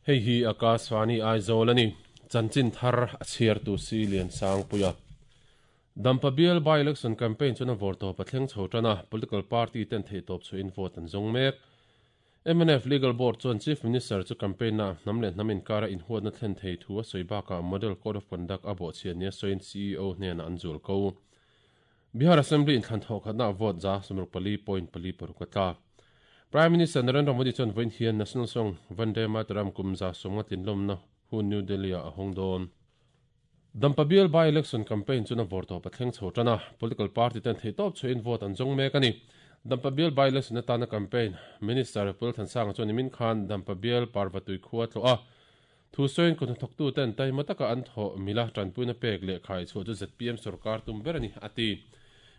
Hei hi Akashvani Aizawl a ni. Chanchin thar a chhiartu si Liansangpuia. Dampa bial by-election campaign chuan a vawrtawp a thleng chho tan a, political party ten theihtawp chhuahin vote an zawng mek. Mnf Legal Board chuan Chief Minister chu campaign-ah hnam leh hnam inkara inhuatna thlen thei thu a sawi bakah Model Code of Conduct a bawhchhiat nia sawiin CEO hnenah an zual ko. Bihar Assembly inthlan thawhkhatnaah vote 64.46 a tla. Prime Minister Narendra Modi chuan vawiin hian National Song Vande Mataram kum 150 tlinlawmna hun New Delhi-ah a hawng dawn. Dampa bial by-election campaign chuan a vawrtawp a thleng chho tan a, political party ten theihtawp chhuahin vote an zawng mek a ni. Dampa bial by-election atana campaign Minister Pul Thansanga chuan nimin khan Dampa bial Parvatui khua tlawh a, thu sawiin kut hnathawktu ten taima taka an thawh mila tanpuina pek leh khai chhuah chu zpm sorkar tum ber a ni, a ti.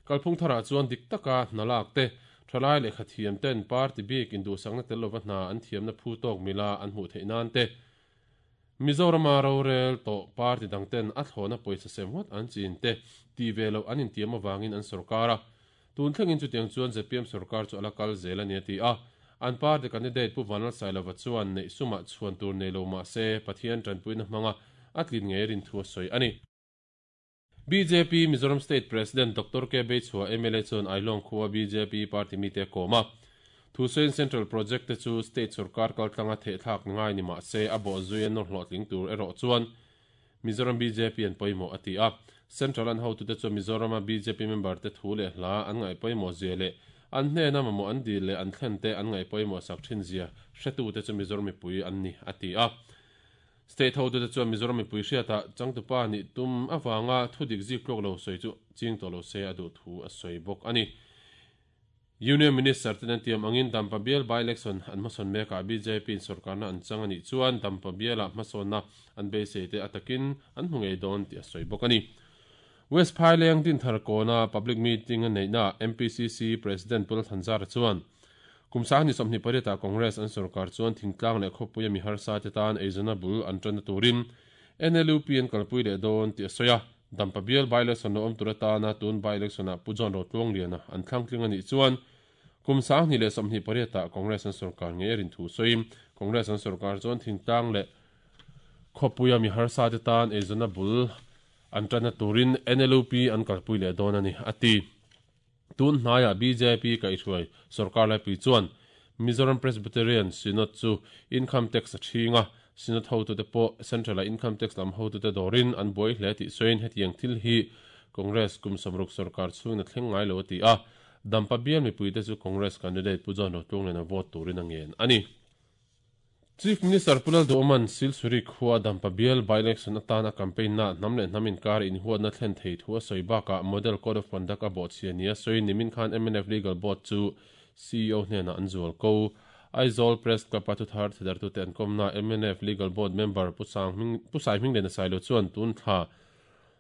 Kalphung tharah chuan dik taka hna lak te, thalai lehkha thiam ten party bik induhsakna tel lova hna an thiamna phu tawk mila an hmuh theih nan te, Mizorama rorel tawh party dang ten a thlawhna pawisa sem ngawt an chin te tih ve loh an intiam avangin an sorkar a. Tun thlengin chutiang chuan zpm sorkar chu a la kal zel a ni a ti a. An party candidate Pu Vanlalsailova chuan neih sumah chhuan tur nei lo mah se Pathian tanpuina hmanga a tlin ngei rin thu a sawi a ni. Bjp Mizoram State President Doctor K Beichhua mla chuan Ailawng khua bjp party mite a kawm a. Thusawiin Central Project te chu State sorkar kaltlanga thehthlak ngai ni mah se a bawhzui a nawr hlawhtling tur erawh chuan Mizoram bjp an pawimawh a ti a. Central an hotute chuan Mizorama bjp member te thu leh hla an ngaih pawimawh zia leh an hnena mamawh an dil leh an thlen te an ngaih pawimawh sak thin zia hretute chu Mizoram mipui an ni a ti a. State hotute chuan Mizoram mipui hriatah changtupa nih tum avanga thudik zik tluak lo sawi chu ching tawh lo se a duh thu a sawi bawk a ni. Union Minister ten an tiam angin Dampa bial by-election an hmasawn mekah bjp in sorkarna an chang a nih chuan Dampa bialah hmasawnna an beisei te a takin an hmu ngei dawn tih a sawi bawk a ni. West Phaileng Dinthar kawna public meeting a neihnaah MPCC President Pu Lalthanzara chuan, Kum 2028 ah Congress an sorkar chuan thingtlang leh khawpuia mi harsa te tan eizawnna bul an tanna turin NLUP an kalpui leh dawn tih a sawi a. Dampa bial by-election lo awm tur atana tun by-election ah Pu John Rotluangliana an thlangtling a nih chuan kum 2028 ah Congress an sorkar ngei a rin thu sawiin Congress an sorkar chuan thingtlang leh khawpuia mi harsa te tan eizawnna bul an tanna turin NLUP an kalpui leh dawn a ni, a ti. Tun hnaiah bjp kaihhruai sorkar laipui chuan Mizoram Presbyterian Synod chu Income Tax a ṭhing a, Synod hotute pawh Central-a Income Tax lam hotute dawrin an buai hle tih sawiin hetiang thil hi Congress kum 60 sorkar chhungin a thleng ngai lo a ti a, Dampa bial mipuite chu Congress candidate Pu John Rotlunglena vote turin a ngen a ni. Chief Minister Pu Lalduhawma'n Silsuri khua Dampa bial by-election atana campaign na hnam leh hnam inkar inhuatna thlen thei thu a sawi bakah Model Code of Conduct a bawhchhia nia sawiin nimin khan mnf Legal Board chu CEO hnenah an zual ko. Aizawl Press Club a thuthar thidartute an kawmna mnf Legal Board member Pu Saihmingliana Sailo chuan tun thla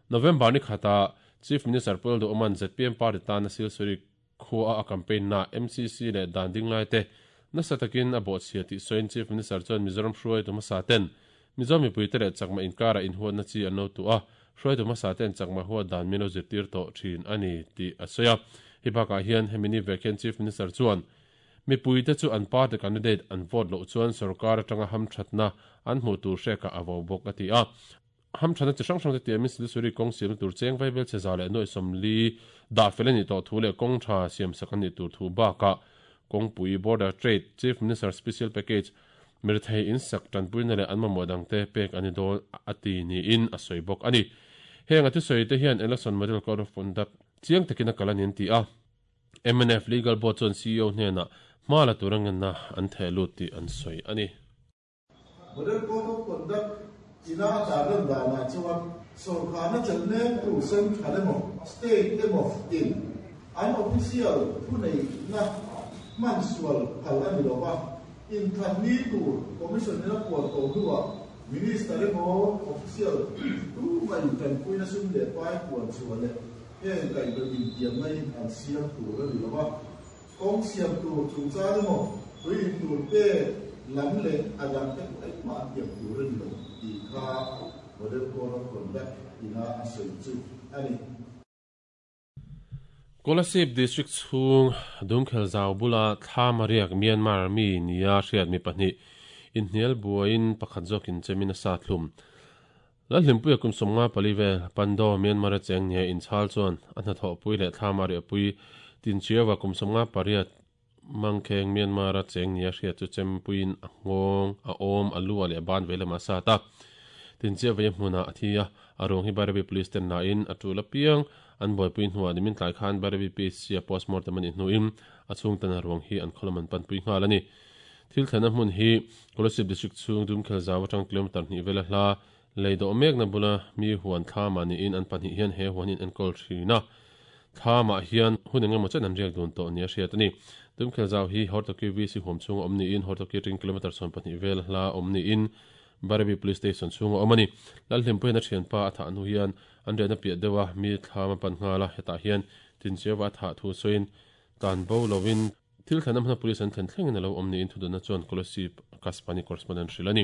November ni khatah Chief Minister Pu Lalduhawma'n zpm party tana Silsuri Khua a campaign na MCC leh dan ding lai te nasa takin a bawhchhia tih sawiin Chief Minister chuan Mizoram hruaitu hmasa ten Mizo mipuite leh chakma inkarah inhuatna chi an lo tuh a, hruaitu hmasa ten chakma huat dan min lo zirtir tawh thin a ni tih a sawi a. Hei bakah hian hemi ni vek hian Chief Minister chuan mipuite chu an party candidate an vote loh chuan sorkar atanga hamthatna an hmuh tur hrekah a vo bawk a ti a. Hamthana chi hrang hrang te tiamin Silisuri kawng siamna tur cheng vaibel chhe 140 dah fel a nih tawh thu leh kawng tha siamsak a nih tur thu bakah kawngpui Border Trade Chief Minister Special Package mirethei insak tanpuina leh an mamawh dangte pek a ni dawn a ti niin a sawi bawk a ni. Heng a thusawi te hian Election Model Code of Conduct chiang takin a kal a ni an ti a. Mnf Legal Board chuan CEO hnenah hma la tura ngenna an theh lut tih an sawi a ni. Model Code of Conduct ina a tarlan danah chuan sawrkarna chelh mektu central emaw state emaw in an official thuneihna hman sual phal a ni lo va, inthlan ni tur Commission in a puan tawh hnuah Minister emaw official tumah in tanpuina sum leh pai puan chhuah leh heng kaihhnawih intiamna hi an siam tur a ni lo va. Kawng siam tur chungchang emaw, tui in tur pek lam leh a dang te pawh engmah an tiam tur a ni lo tih kha Model Code of Conduct ina a sawi chu a ni. Kolasib District chhung Dumkhel zau bula thla mariak Myanmar mi nia hriat mi pahnih Inhnial buaiin pakhat zawkin chemin a sa thlum. Lalhlimpuia kum 54 vel Pando, Myanmar-a cheng nia inchhal chuan a hnathawhpui leh thlam a riahpui Tinchiaua kum 58 Mangkheng, Myanmar-a cheng nia hriat chu chempuiin a nghawng, a awm, a lu a leh a ban vei lamah a sat a. Tinchiaua hmunah a thi a, a ruang hi Bairabi Police ten lain a tul apiang an buaipui hnuah nimin tlai khan Bairabi PHC-a postmortem a nih hnuin a chhungten a ruang hi an khaw lam an panpui nghal a ni. Thil thlenna hmun hi Kolasib District chhung Dumkhel zau atang kilometre hnih vela hla lei dawh mekna bula mi huan thlamah niin an pahnih hian he huan hi an enkawl thin a. Thlamah hian hun engemaw chen an riak dun tawh nia hriat a ni. Dumkhel zau hi Hortoki VC huam chhunga awm niin Hortoki atangin kilometre 12 vel hla awm niin Bairabi Police Station chhunga awm a ni. Lalhlimpuiin a thianpa a thah hnu hian an riahna piah deuha mi thlam a pan nghal a, hetah hian Tinchiava a thah thu sawiin tlan bo lovin Thil thlenna hmuna police an thlen thlengin a lo awm niin thudunna chuan Kolasib Kaspani correspondent hrilh a ni.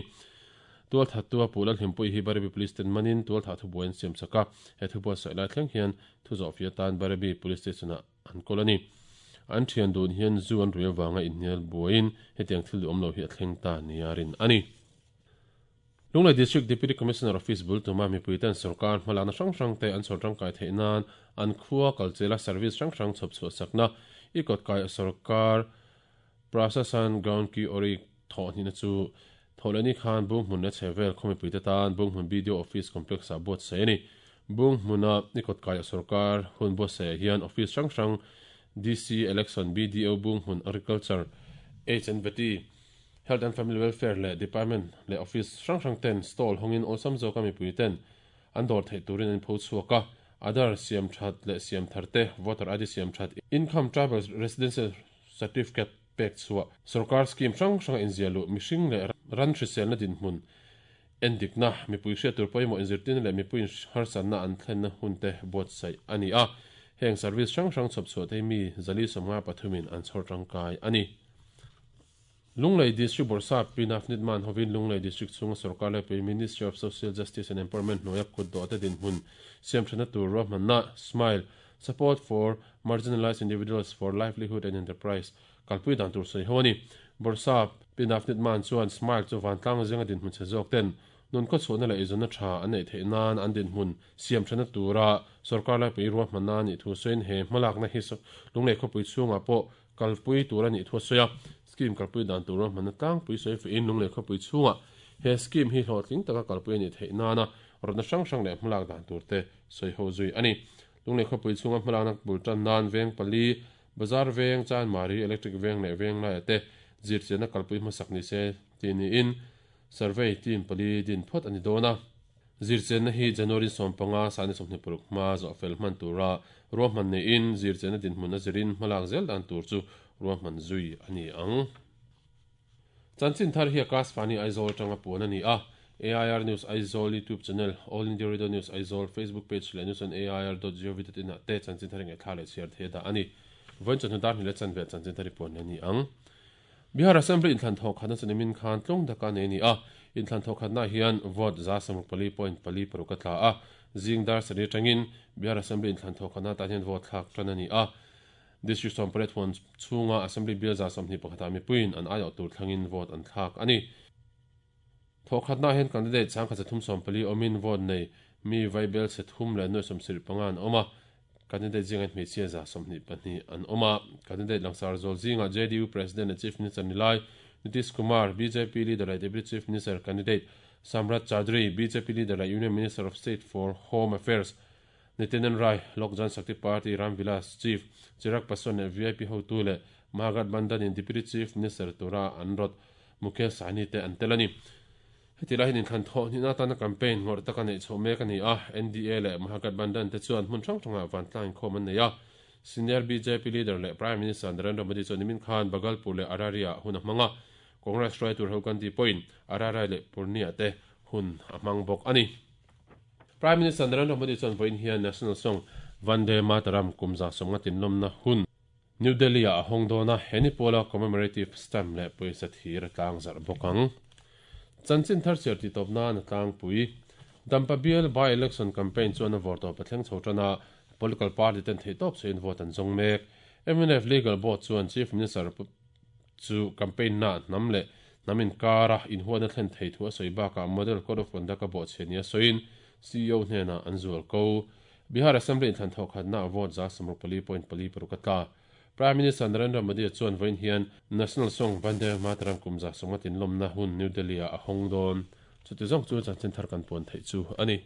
Tualthattu a puh Lalhlimpuii hi Bairabi Police ten manin tualthah thubuai an siam chak a, he thubuai sawi lai thleng hian thu zawhfia tan Bairabi Police Station-ah an kawl a ni. An thian dun hian zu an rui avanga inhnial buaiin hetiang thil duhawm lo hi a thleng ta nia rin a ni. Lunglei District Deputy Commissioner Office bul tuma mipuiten sorkar hmalakna hrang hrangte an chhawr tangkai theih nan an khua kalchela service hrang hrang chhawp chhuah sakna i kawtkai sorkar Prasasan Ground Ki Ori thawh hnihna chu Thawhlehni khan Bunghmun leh chhehvel khaw mipuite tan Bunghmun BDO Office Complex ah buatsaih a ni. Bunghmuna i kawtkai sorkar hun buatsaihah hian office hrang hrang DC Election BDO Bunghmun Agriculture H&Vety Health and Family Welfare leh Department leh Office hrang hrang ten stall hawngin awlsam zawka mipui ten an dawr theih turin an inpho chhuak a, Aadhaar siam that leh siam thar te, Voter ID siam that, Income Tribal Residency Certificate pek chhuah, Sorkar scheme hrang hranga inziah luh, mihring leh ran hriselna dinhmun endikna, mipui hriat tur pawimawh inzirtirna leh mipui harsatna an thlenna hun te buatsaih a ni a, heng service hrang hrang chhawp chhuah te hi mi 453 in an chhawr tangkai a ni. Lunglei District Bawrhsap Pi Navneet Mann hovin Lunglei District chhunga sorkar laipui Ministry of Social Justice and Empowerment hnuaia kut dawhte dinhmun siamthatna tur ruahmanna Smile, Support for Marginalised Individuals for Livelihood and Enterprise kalpui dan tur sawi ho a ni. Bawrhsap Pi Navneet Mann chuan Smile chu vantlang zinga dinhmun chhe zawk ten nun khawchhuahna leh eizawnna tha an neih theih nan an dinhmun siamthatna tura sorkar laipui ruahmanna a nih thu sawiin he hmalakna hi Lunglei khawpui chhungah pawh Kalpui tur a nih thu a sawi a, scheme kalpui dan tur ruahmanna tlangpui sawi fuihin Lunglei khawpui chhungah he scheme hi hlawhtling taka kalpui a nih theih nana rawtna hrang hrang leh hmalak dan tur te sawi ho zui a ni. Lunglei khawpui chhunga hmalakna bul tan nan veng pali, Bazar veng, Chanmari, Electric veng leh Venglaiah te zirchianna kalpui hmasak ni se tih niin Survey team pali din phawt a ni dawn a. Zirchianna hi January 15, sani 26 hma zawh fel hman tura ruahman neiin zirchianna dinhmun a zirin hmalak zel dan tur chu ruahman zui a ni ang. Chanchin thar hi Akashvani Aizawl atanga puan a ni a. AIR News Aizawl YouTube channel, All India Radio News Aizawl Facebook page leh news on air dot gov dot in ah te chanchin thar ngaihthlak leh chhiar thei a dah a ni. Vawiin chawhnu dar hnih leh chanve ah chanchin thar hi puan leh a ni ang. Bihar Assembly inthlan thawhkhatna chu nimin khan tlung taka nei a ni a, inthlan thawhkhatnaah hian vote 64.46 a tla a, zing dar sarih atangin Bihar Assembly inthlan thawhkhatna atan hian vote thlak tan a ni a. District 18 huan chhunga Assembly bial 21 ah mipuiin an aiawh tur thlangin vote an thlak a ni. Thawhkhatnaah hian candidate 1340 awmin vote nei mi vaibel chhe thum leh nuai 75 an awm a, candidate zingah hmeichhia 22 an awm a. Candidate langsar zawl zingah JDU President leh Chief Minister ni lai Nitish Kumar, bjp leader leh Deputy Chief Minister candidate Samrat Chaudhary, bjp leader leh Union Minister of State for Home Affairs Nityanand Rai, Lok Jan Shakti Party Ram Vilas Chief Chirag Paswan leh vip hotu leh Mahagathbandhan in Deputy Chief Minister tura an rawt Mukesh Sahni te an tel a ni. Heti lai hian inthlan thawh hnihna atana campaign ngawrh taka neih chhoh mek a ni a, NDA leh Mahagathbandhan te chuan hmun hrang hrangah vantlang inkhawm an nei a. Senior bjp leader leh Prime Minister Narendra Modi chuan nimin khan Bhagalpur leh Araria-ah hun a hmang a, Congress hruaitu Rahul Gandhi pawhin Araria leh Purnia te hun a hmang bawk a ni. Prime Minister Narendra Modi chuan vawiin hian National Song Vande Mataram kum 150 tinlawmna hun New Delhi-ah a hawng dawn a, he ni pawla commemorative stamp leh pawisa thir a tlang zarh bawk ang. Chanchin thar chhiar tih tawp nan a tlangpui. Dampa bial by-election campaign chuan a vawrtawp a thleng chho tan a, political party ten theihtawp chhuahin vote an zawng mek. Mnf Legal Board chuan Chief Minister chu campaign-na hnam leh. Hnam inkara inhuatna thlen thei thu a sawi bakah Model Code of Conduct a bawhchhiah nia sawiin CEO hnenah an zual ko. Bihar Assembly inthlan thawhkhatnaah vote 64.46 a tla. Prime Minister Narendra Modi chuan vawiin hian National Song Vande Mataram kum 150 lawmna hun New Delhi-ah a hawng dawn. Chuti zawng chu chanchin thar kan puan theih chu a ni.